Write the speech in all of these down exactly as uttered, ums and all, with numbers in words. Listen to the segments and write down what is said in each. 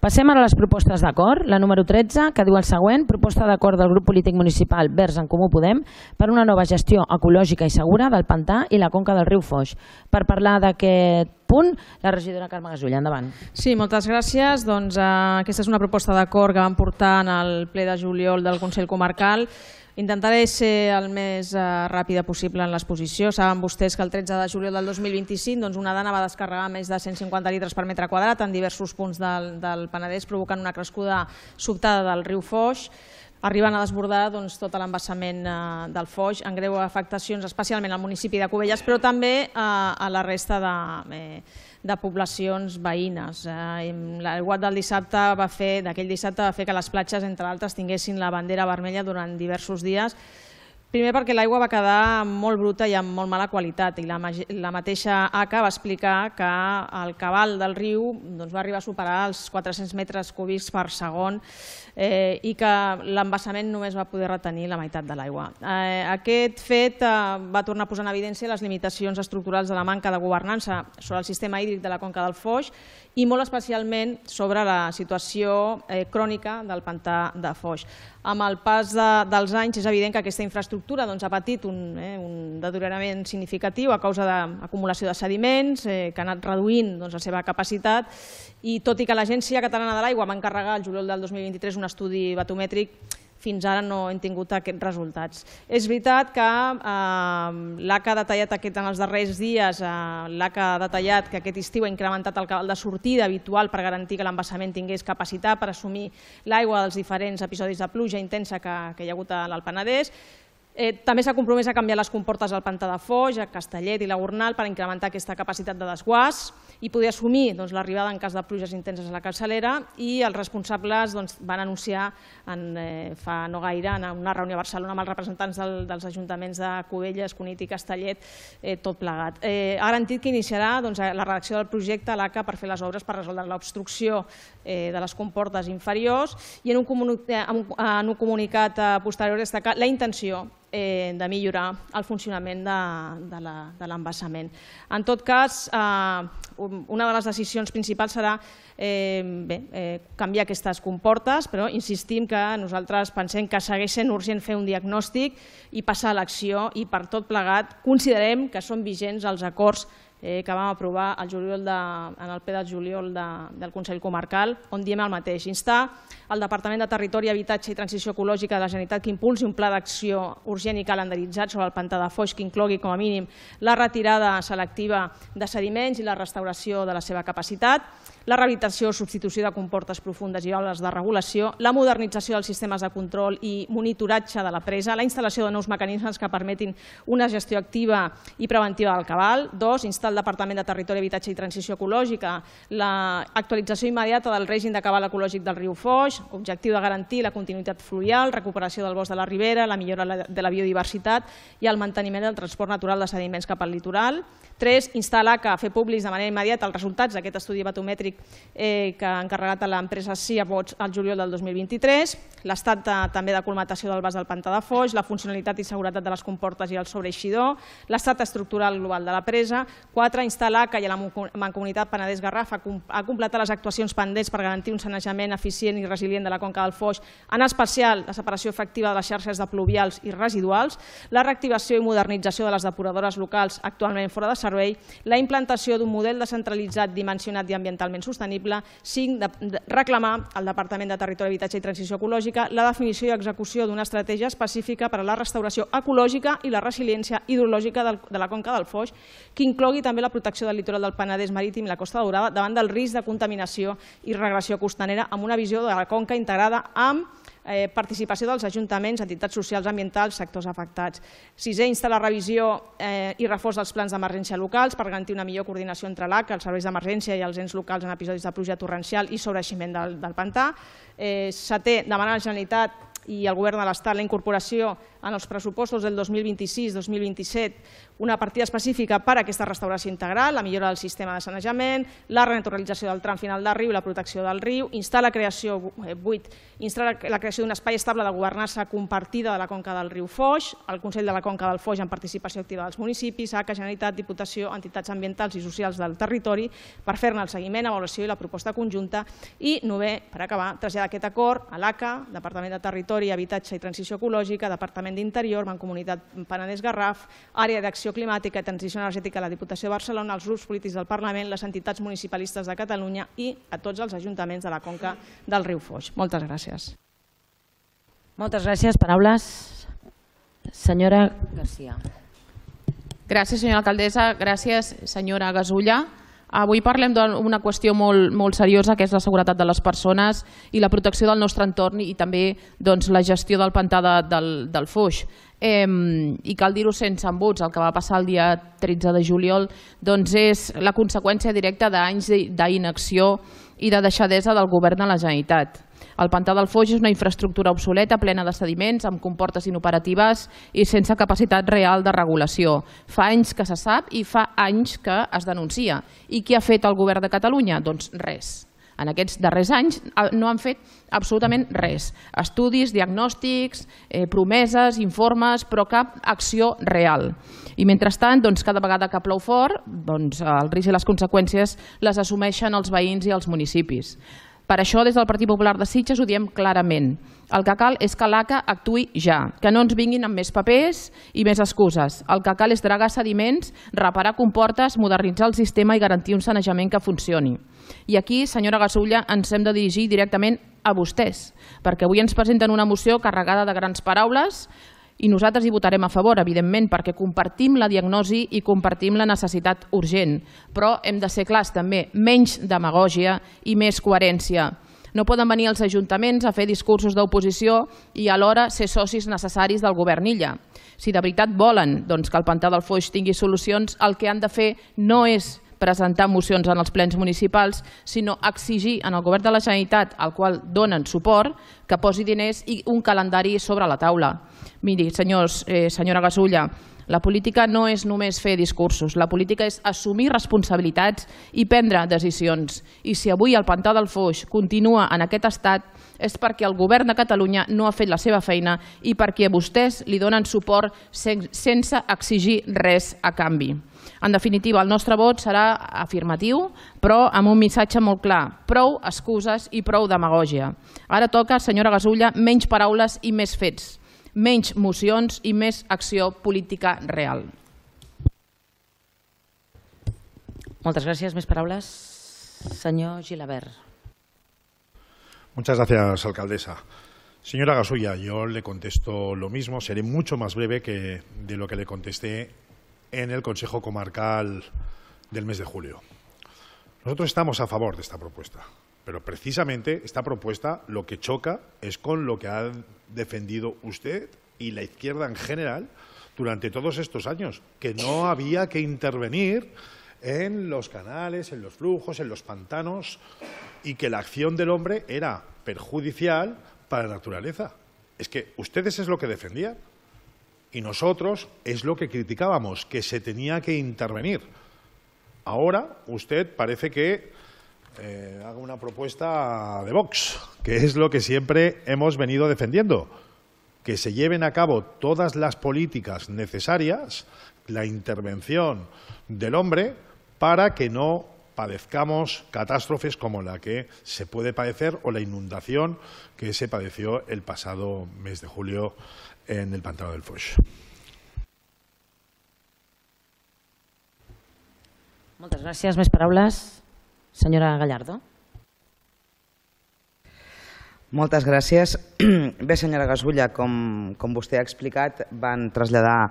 Passem ara a les propostes d'acord. La número tretze, que diu el següent: proposta d'acord del grup polític municipal Verds en Comú Podem per una nova gestió ecològica i segura del pantà i la conca del riu Foix. Per parlar d'aquest punt, la regidora Carme Gasull, endavant. Sí, moltes gràcies. Doncs, eh, aquesta és una proposta d'acord que vam portar en el ple de juliol del Consell Comarcal. Intentaré ser el més eh, ràpida possible en l'exposició. Saben vostès que el tretze de juliol del dos mil vint-i-cinc doncs una dana va descarregar més de cent cinquanta litres per metre quadrat en diversos punts del, del Penedès, provocant una crescuda sobtada del riu Foix, arribant a desbordar doncs, tot l'embassament eh, del Foix, amb greu afectacions especialment al municipi de Cubelles, però també eh, a la resta de, eh, de poblacions veïnes. Eh, L'aiguat del dissabte va fer, d'aquell dissabte va fer que les platges, entre altres, tinguessin la bandera vermella durant diversos dies. Primer perquè l'aigua va quedar molt bruta i amb molt mala qualitat i la, la mateixa A C A va explicar que el cabal del riu doncs, va arribar a superar els quatre-cents metres cúbics per segon eh, i que l'embassament només va poder retenir la meitat de l'aigua. Eh, aquest fet eh, va tornar a posar en evidència les limitacions estructurals de la manca de governança sobre el sistema hídric de la conca del Foix i molt especialment sobre la situació eh, crònica del pantà de Foix. Amb el pas de, dels anys és evident que aquesta infraestructura doncs, ha patit un, eh, un deteriorament significatiu a causa d'acumulació de sediments eh, que ha anat reduint doncs, la seva capacitat i tot i que l'Agència Catalana de l'Aigua va encarregar el juliol del dos mil vint-i-tres un estudi batomètric, fins ara no hem tingut aquests resultats. És veritat que eh, l'A C A ha detallat aquest en els darrers dies, eh, l'A C A ha detallat que aquest estiu ha incrementat el cabal de sortida habitual per garantir que l'embassament tingués capacitat per assumir l'aigua dels diferents episodis de pluja intensa que, que hi ha hagut al Penedès. Eh, també s'ha compromès a canviar les comportes al pantà de Foix, a Castellet i la Gornal per incrementar aquesta capacitat de desguàs i poder assumir doncs, l'arribada en cas de pluges intenses a la capçalera i els responsables doncs, van anunciar en, eh, fa no gaire en una reunió a Barcelona amb els representants del, dels ajuntaments de Cubelles, Cunit i Castellet, eh, tot plegat. Eh, ha garantit que iniciarà doncs, la redacció del projecte a l'A C A per fer les obres per resoldre l'obstrucció eh, de les comportes inferiors i en un, comuni en un comunicat eh, posterior destacar la intenció Eh, de millorar el funcionament de, de l'embassament. En tot cas, eh, una de les decisions principals serà eh, bé, eh, canviar aquestes comportes, però insistim que nosaltres pensem que segueix sent urgent fer un diagnòstic i passar a l'acció i per tot plegat considerem que són vigents els acords eh, que vam aprovar el juliol de, en el ple de juliol de, del Consell Comarcal, on diem el mateix: instar el Departament de Territori, Habitatge i Transició Ecològica de la Generalitat que impulsi un pla d'acció urgent i calendaritzat sobre el pantà de Foix que inclogui com a mínim la retirada selectiva de sediments i la restauració de la seva capacitat, la rehabilitació o substitució de comportes profundes i obres de regulació, la modernització dels sistemes de control i monitoratge de la presa, la instal·lació de nous mecanismes que permetin una gestió activa i preventiva del cabal. Dos, instar el Departament de Territori, Habitatge i Transició Ecològica l'actualització immediata del règim de cabal ecològic del riu Foix, objectiu de garantir la continuïtat fluvial, recuperació del bosc de la ribera, la millora de la biodiversitat i el manteniment del transport natural de sediments cap al litoral. Tres, instar l'A C A a fer públics de manera immediata els resultats d'aquest estudi batomètric eh, que ha encarregat a l'empresa Siabots al juliol del dos mil vint-i-tres, l'estat de, també de colmatació del vas del pantà de Foix, la funcionalitat i seguretat de les comportes i el sobreeixidor, l'estat estructural global de la presa. Quatre, instar l'A C A i a la Mancomunitat Penedès-Garraf a completar les actuacions pendents per garantir un sanejament eficient i resilient de la conca del Foix, en especial la separació efectiva de les xarxes de pluvials i residuals, la reactivació i modernització de les depuradores locals actualment fora de servei, la implantació d'un model descentralitzat, dimensionat i ambientalment sostenible. Cinc, reclamar al Departament de Territori, Habitatge i Transició Ecològica la definició i execució d'una estratègia específica per a la restauració ecològica i la resiliència hidrològica de la conca del Foix, que inclogui també la protecció del litoral del Penedès marítim i la Costa Daurada davant del risc de contaminació i regressió costanera, amb una visió de la conca integrada amb participació dels ajuntaments, entitats socials, ambientals, sectors afectats. Sisè, instar la revisió i reforç dels plans d'emergència locals per garantir una millor coordinació entre l'A C A, els serveis d'emergència i els ens locals en episodis de pluja torrencial i sobreeiximent del pantà. Setè, demanar a la Generalitat i al Govern de l'Estat la incorporació en els pressupostos del dos mil vint-i-sis dos mil vint-i-set una partida específica per a aquesta restauració integral, la millora del sistema de sanejament, la renaturalització del tram final del riu i la protecció del riu, instar la creació, vuit, instar la creació d'un espai estable de governança compartida de la conca del riu Foix, el Consell de la Conca del Foix en participació activa dels municipis, A C A, Generalitat, Diputació, entitats ambientals i socials del territori per fer-ne el seguiment, avaluació i la proposta conjunta. I novè, per acabar, traslladar aquest acord a l'A C A, Departament de Territori, Habitatge i Transició Ecològica, Departament d'Interior, Mancomunitat Penedès-Garraf, Àrea d'Acció Climàtica i Transició Energètica a la Diputació de Barcelona, els grups polítics del Parlament, les entitats municipalistes de Catalunya i a tots els ajuntaments de la conca del riu Foix. Moltes gràcies. Moltes gràcies. Paraules. Senyora Garcia. Gràcies, senyora alcaldessa. Gràcies, senyora Gasulla. Avui parlem d'una qüestió molt, molt seriosa, que és la seguretat de les persones i la protecció del nostre entorn i també doncs, la gestió del pantà de, del, del Foix. Eh, I cal dir-ho sense embuts, el que va passar el dia tretze de juliol doncs és la conseqüència directa d'anys d'inacció i de deixadesa del govern de la Generalitat. El pantà del Foix és una infraestructura obsoleta, plena de sediments, amb comportes inoperatives i sense capacitat real de regulació. Fa anys que se sap i fa anys que es denuncia. I què ha fet el govern de Catalunya? Doncs res. En aquests darrers anys no han fet absolutament res. Estudis, diagnòstics, eh, promeses, informes, però cap acció real. I mentrestant, doncs, cada vegada que plou fort, doncs, el risc i les conseqüències les assumeixen els veïns i els municipis. Per això, des del Partit Popular de Sitges ho diem clarament. El que cal és que l'A C A actuï ja, que no ens vinguin amb més papers i més excuses. El que cal és dragar sediments, reparar comportes, modernitzar el sistema i garantir un sanejament que funcioni. I aquí, senyora Gasulla, ens hem de dirigir directament a vostès, perquè avui ens presenten una moció carregada de grans paraules i nosaltres hi votarem a favor, evidentment, perquè compartim la diagnosi i compartim la necessitat urgent. Però hem de ser clars també, menys demagògia i més coherència. No poden venir els ajuntaments a fer discursos d'oposició i alhora ser socis necessaris del govern Illa. Si de veritat volen doncs, que el pantà del Foix tingui solucions, el que han de fer no és presentar mocions en els plens municipals, sinó exigir en el govern de la Generalitat, al qual donen suport, que posi diners i un calendari sobre la taula. Miri, senyors, eh, senyora Gasulla, la política no és només fer discursos, la política és assumir responsabilitats i prendre decisions. I si avui el pantà del Foix continua en aquest estat és perquè el govern de Catalunya no ha fet la seva feina i perquè vostès li donen suport sense exigir res a canvi. En definitiva, el nostre vot serà afirmatiu, però amb un missatge molt clar. Prou excuses i prou demagògia. Ara toca, senyora Gasulla, menys paraules i més fets. Menys mocions i més acció política real. Moltes gràcies. Més paraules? Senyor Gilabert. Muchas gracias, alcaldesa. Señora Gasulla, yo le contesto lo mismo. Seré mucho más breve que de lo que le contesté en el Consejo Comarcal del mes de julio. Nosotros estamos a favor de esta propuesta, pero precisamente esta propuesta lo que choca es con lo que ha defendido usted y la izquierda en general durante todos estos años, que no había que intervenir en los canales, en los flujos, en los pantanos, y que la acción del hombre era perjudicial para la naturaleza. Es que ustedes es lo que defendían. Y nosotros es lo que criticábamos, que se tenía que intervenir. Ahora usted parece que eh, haga una propuesta de Vox, que es lo que siempre hemos venido defendiendo, que se lleven a cabo todas las políticas necesarias, la intervención del hombre, para que no padezcamos catástrofes como la que se puede padecer o la inundación que se padeció el pasado mes de julio en el pantano del Foix. Moltes gràcies. Més paraules? Senyora Gallardo. Moltes gràcies. Bé, senyora Gasulla, com, com vostè ha explicat, van traslladar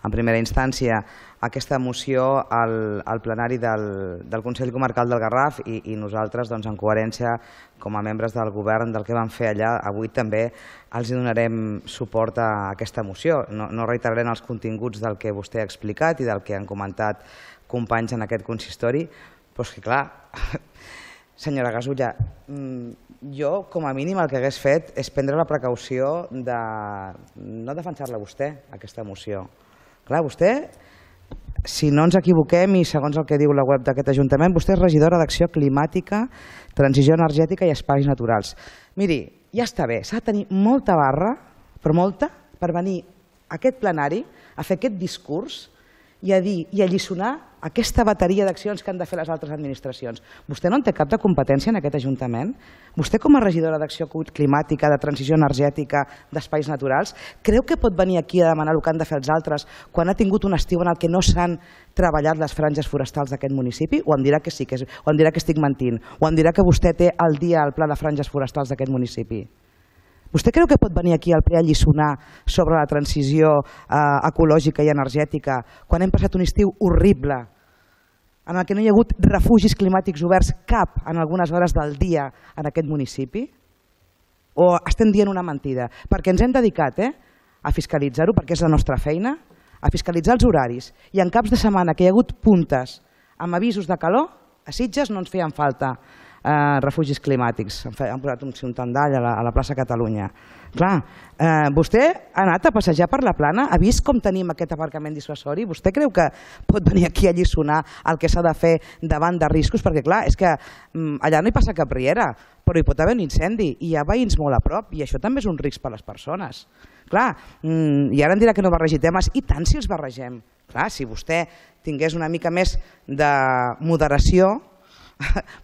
en primera instància aquesta moció al, al plenari del, del Consell Comarcal del Garraf i, i nosaltres, doncs, en coherència, com a membres del govern del que vam fer allà, avui també els donarem suport a aquesta moció. No, no reiterarem els continguts del que vostè ha explicat i del que han comentat companys en aquest consistori, però és que clar, senyora Gasulla, Jo, com a mínim, el que hagués fet és prendre la precaució de no defensar-la vostè, aquesta moció. Clar, vostè, si no ens equivoquem i segons el que diu la web d'aquest Ajuntament, vostè és regidora d'Acció Climàtica, Transició Energètica i Espais Naturals. Miri, ja està bé, s'ha de tenir molta barra, però molta, per venir a aquest plenari a fer aquest discurs i a dir i a alliçonar aquesta bateria d'accions que han de fer les altres administracions. Vostè no en té cap de competència en aquest Ajuntament? Vostè, com a regidora d'Acció Climàtica, de Transició Energètica, d'Espais Naturals, creu que pot venir aquí a demanar el que han de fer els altres quan ha tingut un estiu en el que no s'han treballat les franges forestals d'aquest municipi? O em dirà que sí, que és, o em dirà que estic mentint? O em dirà que vostè té al dia el pla de franges forestals d'aquest municipi? Vostè creu que pot venir aquí al ple a alliçonar sobre la transició eh, ecològica i energètica quan hem passat un estiu horrible en el que no hi ha hagut refugis climàtics oberts cap en algunes hores del dia en aquest municipi? O estem dient una mentida? Perquè ens hem dedicat eh, a fiscalitzar-ho, perquè és la nostra feina, a fiscalitzar els horaris. I en caps de setmana que hi ha hagut puntes amb avisos de calor, a Sitges no ens feien falta Eh, refugis climàtics. Han posat un, un tendall a la, a la plaça Catalunya. Clar, eh, vostè ha anat a passejar per la Plana, ha vist com tenim aquest aparcament dissuasori? Vostè creu que pot venir aquí a alliçonar el que s'ha de fer davant de riscos? Perquè clar, és que mm, allà no hi passa cap riera, però hi pot haver un incendi i hi ha veïns molt a prop i això també és un risc per a les persones. Clar, mm, i ara em dirà que no barregi temes, i tant si els barregem. Clar, si vostè tingués una mica més de moderació,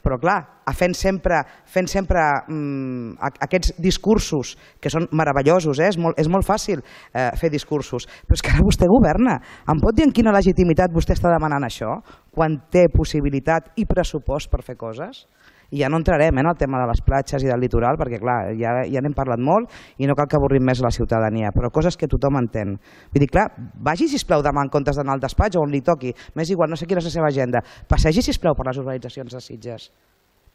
però clar, fent sempre, fent sempre mmm, aquests discursos que són meravellosos, eh? és, molt, és molt fàcil eh, fer discursos, però és que ara vostè governa. Em pot dir en quina legitimitat vostè està demanant això, quan té possibilitat i pressupost per fer coses? I ja no entrarem eh, en el tema de les platges i del litoral, perquè clar, ja, ja n'hem parlat molt i no cal que avorrim més la ciutadania, però coses que tothom entén. Vull dir, clar, vagi, sisplau, demà en comptes d'anar al despatx o on li toqui, m'és igual, no sé quina és la seva agenda, passegi, sisplau, per les urbanitzacions de Sitges.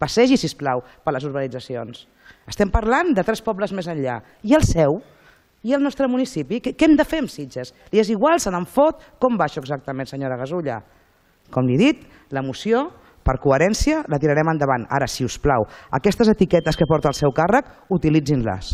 Passegi, sisplau, per les urbanitzacions. Estem parlant de tres pobles més enllà. I el seu? I el nostre municipi? Què, què hem de fer amb Sitges? Li és igual, se n'en fot? Com va això exactament, senyora Gasulla? Com li he dit, la moció, per coherència, la tirarem endavant. Ara, si us plau, aquestes etiquetes que porta el seu càrrec, utilitzin-les.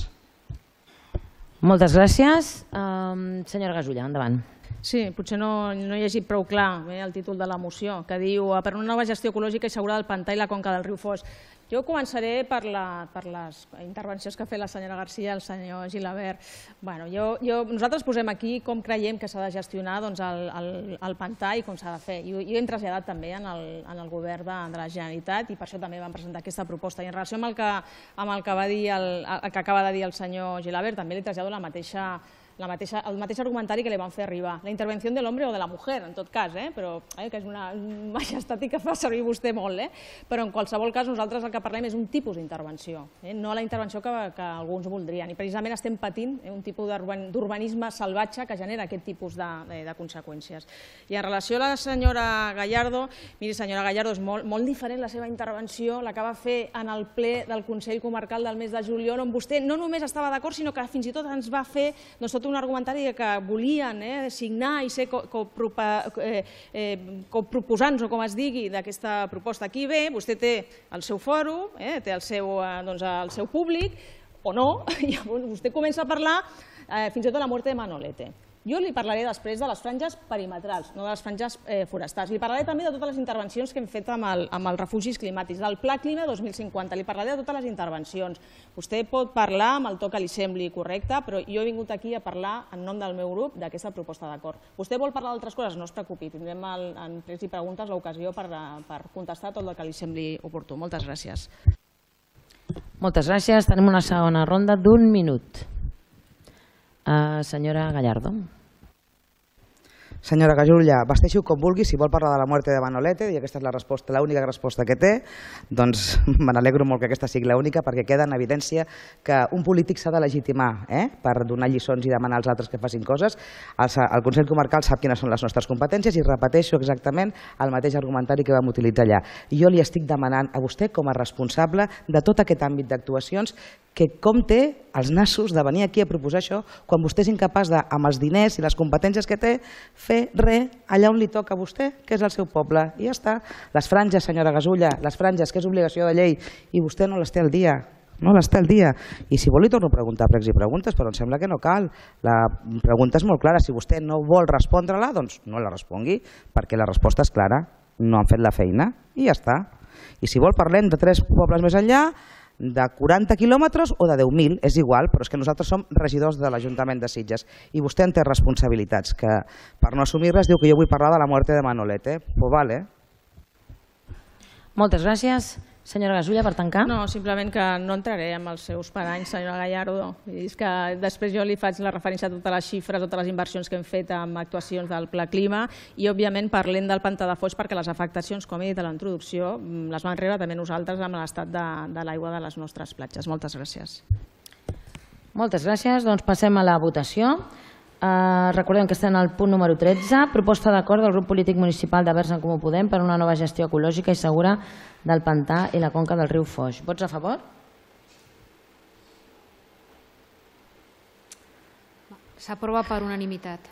Moltes gràcies. Um, senyora Gasulla, endavant. Sí, potser no, no he llegit prou clar eh, el títol de la moció, que diu per una nova gestió ecològica i segura del pantà i la conca del riu Foix. Jo començaré per, la, per les intervencions que ha fet la senyora Garcia i el senyor Gilabert. Bueno, jo, jo, nosaltres posem aquí com creiem que s'ha de gestionar doncs, el, el, el pantà i com s'ha de fer. I ho hem traslladat també en el, en el govern de, de la Generalitat i per això també vam presentar aquesta proposta. I en relació amb el que, amb el que, va dir el, el que acaba de dir el senyor Gilabert, també li trasllado la mateixa La mateixa, el mateix argumentari que li van fer arribar. La intervenció de l'home o de la mujer, en tot cas, eh? però eh, que és una majestàtica que fa servir vostè molt, eh? però en qualsevol cas nosaltres el que parlem és un tipus d'intervenció, eh? no la intervenció que, que alguns voldrien. I precisament estem patint eh, un tipus d'urbanisme salvatge que genera aquest tipus de, de, de conseqüències. I en relació a la senyora Gallardo, miri senyora Gallardo, és molt, molt diferent la seva intervenció, la que va fer en el ple del Consell Comarcal del mes de juliol, on vostè no només estava d'acord, sinó que fins i tot ens va fer doncs, tot un argumentari que volien eh, signar i ser coproposants, o com es digui, d'aquesta proposta. Aquí ve, vostè té el seu fòrum, eh, té el seu, doncs, el seu públic, o no, i vostè comença a parlar eh, fins i tot de la mort de Manolete. Jo li parlaré després de les franges perimetrals, no de les franges eh, forestals. Li parlaré també de totes les intervencions que hem fet amb, el, amb els refugis climàtics, del Pla Clima dos mil cinquanta. Li parlaré de totes les intervencions. Vostè pot parlar amb el to que li sembli correcte, però jo he vingut aquí a parlar en nom del meu grup d'aquesta proposta d'acord. Vostè vol parlar d'altres coses? No es preocupi, tindrem el, en plens i preguntes l'ocasió per, per contestar tot el que li sembli oportú. Moltes gràcies. Moltes gràcies. Tenim una segona ronda d'un minut. Uh, senyora Gallardo. Senyora Gasulla, vesteixi-ho com vulgui, si vol parlar de la muerte de Manolete, i aquesta és la resposta, l'única resposta que té, doncs me n'alegro molt que aquesta sigui l'única, perquè queda en evidència que un polític s'ha de legitimar eh, per donar lliçons i demanar als altres que facin coses. El, el Consell Comarcal sap quines són les nostres competències i repeteixo exactament el mateix argumentari que vam utilitzar allà. I jo li estic demanant a vostè, com a responsable de tot aquest àmbit d'actuacions, que com té els nassos de venir aquí a proposar això quan vostè és incapaç de, amb els diners i les competències que té, fer res allà on li toca a vostè, que és el seu poble. I ja està. Les franges, senyora Gasulla, les franges, que és obligació de llei, i vostè no les té al dia. no les té al dia. I si vol li torno a preguntar pregs i preguntes, però em sembla que no cal. La pregunta és molt clara. Si vostè no vol respondre-la, doncs no la respongui, perquè la resposta és clara. No han fet la feina i ja està. I si vol parlem de tres pobles més enllà, de quaranta quilòmetres o de deu mil, és igual, però és que nosaltres som regidors de l'Ajuntament de Sitges i vostè en té responsabilitats, que per no assumir-les diu que jo vull parlar de la muerte de Manolete. Pues vale. Moltes gràcies. Senyora Gasulla, per tancar. No, simplement que no entraré amb els seus paranys, senyora Gallardo. És que després jo li faig la referència a totes les xifres, totes les inversions que hem fet amb actuacions del Pla Clima i, òbviament, parlem del pantà de Foix perquè les afectacions, com he dit a la introducció, les vam rebre també nosaltres amb l'estat de, de l'aigua de les nostres platges. Moltes gràcies. Moltes gràcies. Doncs passem a la votació. Uh, recordem que estem al punt número tretze, proposta d'acord del grup polític municipal de Verds en Comú Podem per una nova gestió ecològica i segura del pantà i la conca del riu Foix. Vots a favor? S'aprova per unanimitat.